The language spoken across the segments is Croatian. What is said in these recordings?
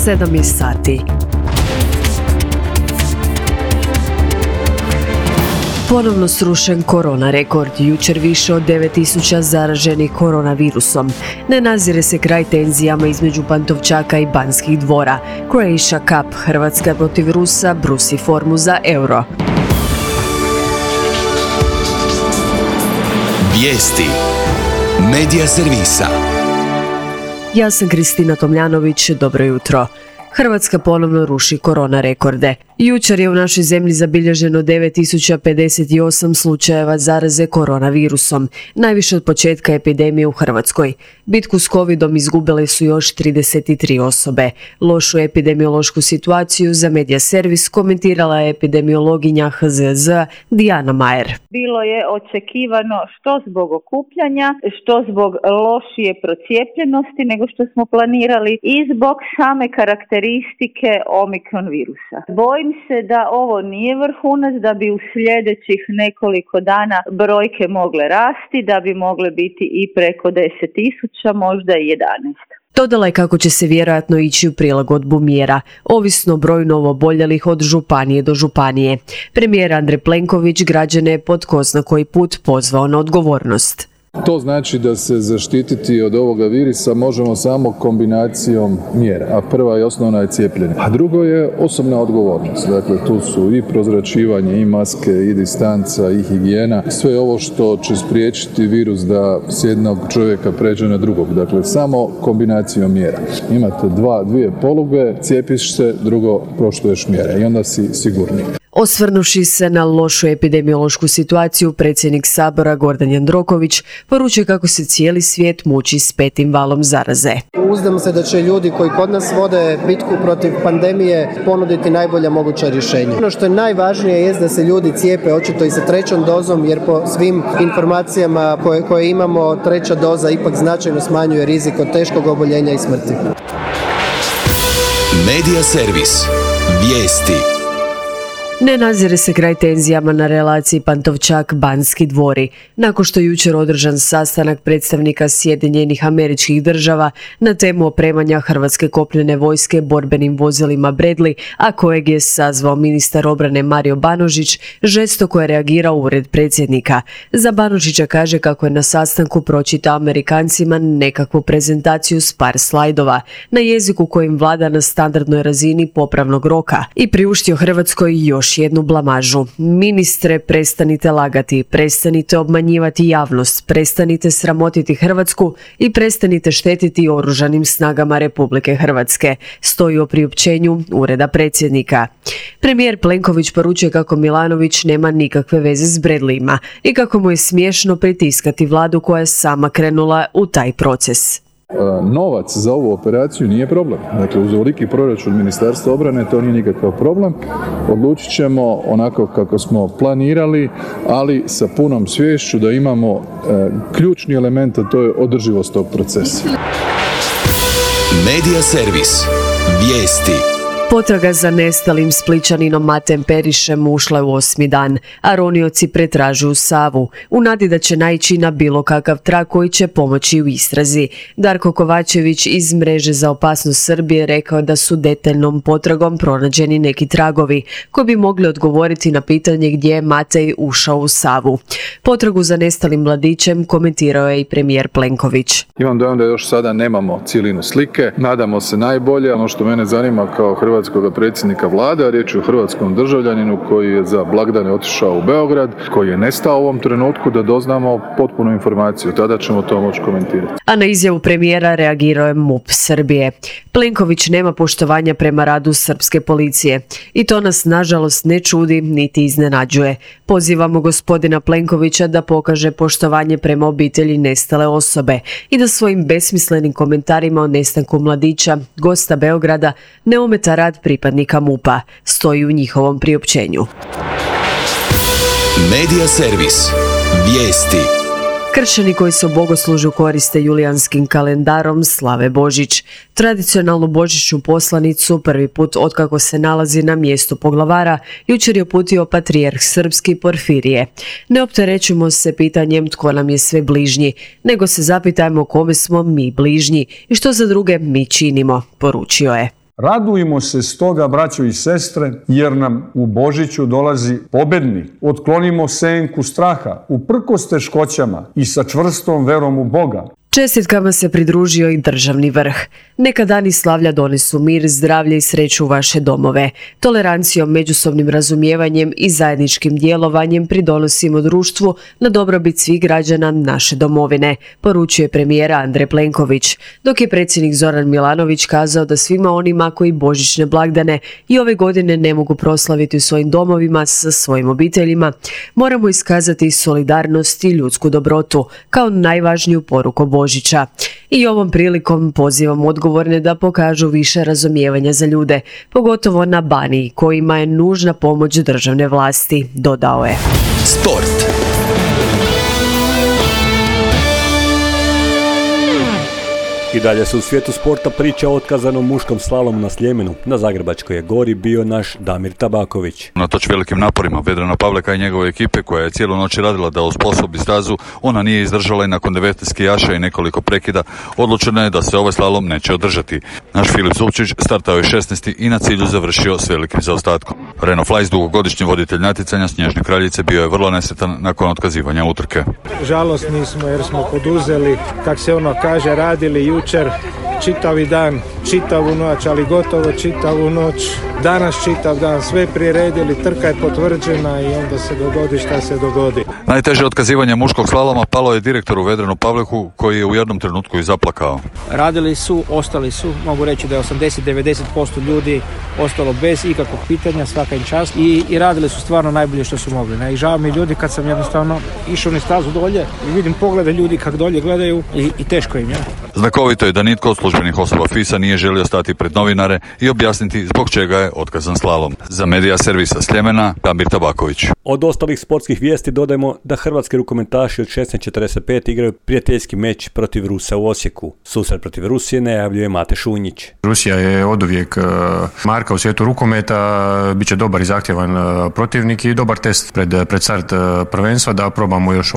7 je sati. Ponovno srušen korona rekord, jučer više od 9000 zaraženih koronavirusom. Ne nazire se kraj tenzijama između Pantovčaka i Banskih dvora. Croatia Cup, Hrvatska protiv Rusa, brusi formu za Euro. Vijesti Medija servisa. Ja sam Kristina Tomljanović, dobro jutro. Hrvatska ponovno ruši korona rekorde. Jučer je u našoj zemlji zabilježeno 9058 slučajeva zaraze koronavirusom, najviše od početka epidemije u Hrvatskoj. Bitku s covidom izgubile su još 33 osobe. Lošu epidemiološku situaciju za Medija servis komentirala je epidemiologinja HZZ Dijana Majer. Bilo je očekivano što zbog okupljanja, što zbog lošije procijepljenosti nego što smo planirali i zbog same karakteristike omikron virusa. Bojim se da ovo nije vrhunac, da bi u sljedećih nekoliko dana brojke mogle rasti, da bi mogle biti i preko 10.000, možda i 11. Dodala je kako će se vjerojatno ići u prilagodbu mjera, ovisno o broju novooboljelih od županije do županije. Premijer Andrej Plenković građane je po tko zna koji put pozvao na odgovornost. To znači da se zaštititi od ovoga virusa možemo samo kombinacijom mjera, a prva i osnovna je cijepljenje, a drugo je osobna odgovornost. Dakle, tu su i prozračivanje, i maske, i distanca, i higijena, sve ovo što će spriječiti virus da s jednog čovjeka pređe na drugog. Dakle, samo kombinacijom mjera. Imate dvije poluge, cijepiš se, drugo poštuješ mjere i onda si sigurniji. Osvrnuši se na lošu epidemiološku situaciju, predsjednik Sabora Gordan Jandroković poručuje kako se cijeli svijet muči s 5. valom zaraze. Uzdam se da će ljudi koji kod nas vode bitku protiv pandemije ponuditi najbolja moguća rješenja. Ono što je najvažnije je da se ljudi cijepe očito i sa 3. dozom, jer po svim informacijama koje imamo, 3. doza ipak značajno smanjuje rizik od teškog oboljenja i smrti. Medija servis. Vijesti. Ne nazire se kraj tenzijama na relaciji Pantovčak-Banski dvori, nakon što je jučer održan sastanak predstavnika Sjedinjenih Američkih Država na temu opremanja Hrvatske kopnene vojske borbenim vozilima Bradley, a kojeg je sazvao ministar obrane Mario Banožić, žestoko je reagirao ured predsjednika. Za Banožića kaže kako je na sastanku pročitao Amerikancima nekakvu prezentaciju s par slajdova na jeziku kojim vlada na standardnoj razini popravnog roka i priuštio Hrvatskoj još jednu blamažu. Ministre, prestanite lagati, prestanite obmanjivati javnost, prestanite sramotiti Hrvatsku i prestanite štetiti oružanim snagama Republike Hrvatske, stoji u priopćenju ureda predsjednika. Premijer Plenković poručuje kako Milanović nema nikakve veze s Bradleyima i kako mu je smiješno pritiskati vladu koja je sama krenula u taj proces. Novac za ovu operaciju nije problem. Dakle, uz ovoliki proračun Ministarstva obrane to nije nikakav problem. Odlučit ćemo onako kako smo planirali, ali sa punom sviješću da imamo ključni element, a to je održivost tog procesa. Medija servis. Vijesti. Potraga za nestalim Splićaninom Matem Perišem ušla je u 8. dan, a ronioci pretražuju Savu, u nadi da će naići na bilo kakav trag koji će pomoći u istrazi. Darko Kovačević iz Mreže za opasnost Srbije rekao da su detaljnom potragom pronađeni neki tragovi koji bi mogli odgovoriti na pitanje gdje je Matej ušao u Savu. Potragu za nestalim mladićem komentirao je i premijer Plenković. Imam dojam da još sada nemamo cijelinu slike, nadamo se najbolje. Ono što mene zanima kao hrvatskog predsjednika vlade, a riječ je o hrvatskom državljaninu koji je za blagdane otišao u Beograd, koji je nestao u ovom trenutku, da doznamo potpunu informaciju. Tada ćemo to moći komentirati. A na izjavu premijera reagirao je MUP Srbije. Plenković nema poštovanja prema radu srpske policije i to nas nažalost ne čudi niti iznenađuje. Pozivamo gospodina Plenkovića da pokaže poštovanje prema obitelji nestale osobe i da svojim besmislenim komentarima o nestanku mladića, gosta Beograda, ne ometa rad pripadnika MUP-a, stoji u njihovom priopćenju. Medija servis. Vijesti. Kršćani koji se u bogoslužju koriste julijanskim kalendarom slave Božić. Tradicionalnu božićnu poslanicu prvi put otkako se nalazi na mjestu poglavara jučer je uputio patrijarh srpski Porfirije. Ne opterećujemo se pitanjem tko nam je sve bližnji, nego se zapitajmo kome smo mi bližnji i što za druge mi činimo, poručio je. Radujmo se stoga, braćo i sestre, jer nam u Božiću dolazi pobednik. Otklonimo senku straha, uprkos teškoćama i sa čvrstom verom u Boga. Čestitkama se pridružio i državni vrh. Neka dani slavlja donesu mir, zdravlje i sreću u vaše domove. Tolerancijom, međusobnim razumijevanjem i zajedničkim djelovanjem pridonosimo društvu na dobrobit svih građana naše domovine, poručuje premijer Andrej Plenković, dok je predsjednik Zoran Milanović kazao da svima onima koji božićne blagdane i ove godine ne mogu proslaviti u svojim domovima sa svojim obiteljima, moramo iskazati solidarnost i ljudsku dobrotu kao najvažniju poruku Božića. I ovom prilikom pozivam odgovorne da pokažu više razumijevanja za ljude, pogotovo na Baniji kojima je nužna pomoć državne vlasti, dodao je. Sport. I dalje se u svijetu sporta priča o otkazanom muškom slalomu na Sljemenu. Na Zagrebačkoj je gori bio naš Damir Tabaković. Unatoč velikim naporima Vedrana Pavleka i njegove ekipe, koja je cijelu noć radila da osposobi stazu, ona nije izdržala i nakon 19 skijaša i nekoliko prekida odlučeno je da se ovaj slalom neće održati. Naš Filip Zupčić startao je 16. i na cilju završio s velikim zaostatkom. Reno Flajs, dugogodišnji voditelj natjecanja Snježne kraljice, bio je vrlo nesretan nakon otkazivanja utrke. Žalosni smo jer smo poduzeli, kak se ono kaže, radili jučer čitavi dan, čitavu noć, ali gotovo čitavu noć. Danas čitav dan, sve priredili, trka je potvrđena i onda se dogodi šta se dogodi. Najteže otkazivanje muškog slaloma palo je direktoru Vedranu Pavleku, koji je u jednom trenutku i zaplakao. Radili su, ostali su, mogu reći da je 80-90% ljudi ostalo bez ikakvog pitanja, svaka im čast i radili su stvarno najbolje što su mogli. I žao mi ljudi kad sam jednostavno išao na stazu dolje i vidim poglede ljudi kako dolje gledaju i teško im je. Znakovito je da nitko od službenih osoba FIS-a nije želio stati pred novinare i objasniti zbog čega je otkazan slalom. Za Medija servisa Sljemena, Damir Tabaković. Od ostalih sportskih vijesti dodajemo da hrvatski rukometaši od 16:45 igraju prijateljski meč protiv Rusa u Osijeku. Susret protiv Rusije najavljuje Mate Šunjić. Rusija je oduvijek marka u svijetu rukometa, bit će dobar i zahtjevan protivnik i dobar test pred start prvenstva da probamo još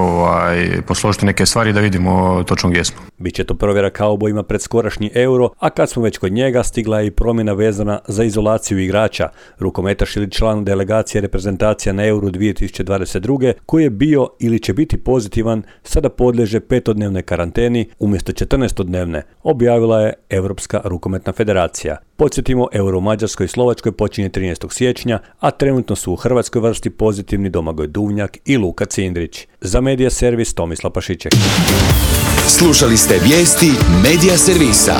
posložiti neke stvari da vidimo točno gdje smo. Biće to provjera kaubojima pred skorašnji Euro, a kad smo već kod njega, stigla je i promjena vezana za izolaciju igrača. Rukometaš ili član delegacije reprezentacija na Euro 2022. koji je bio ili će biti pozitivan, sada podliježe 5-dnevnoj karanteni umjesto 14-dnevne, objavila je Europska rukometna federacija. Podsjetimo, Euro u Mađarskoj i Slovačkoj počinje 13. siječnja, a trenutno su u hrvatskoj vrsti pozitivni Domagoj Duvnjak i Luka Cindrić. Za Medija servis Tomislav Pašiček. Slušali ste vijesti Medija servisa.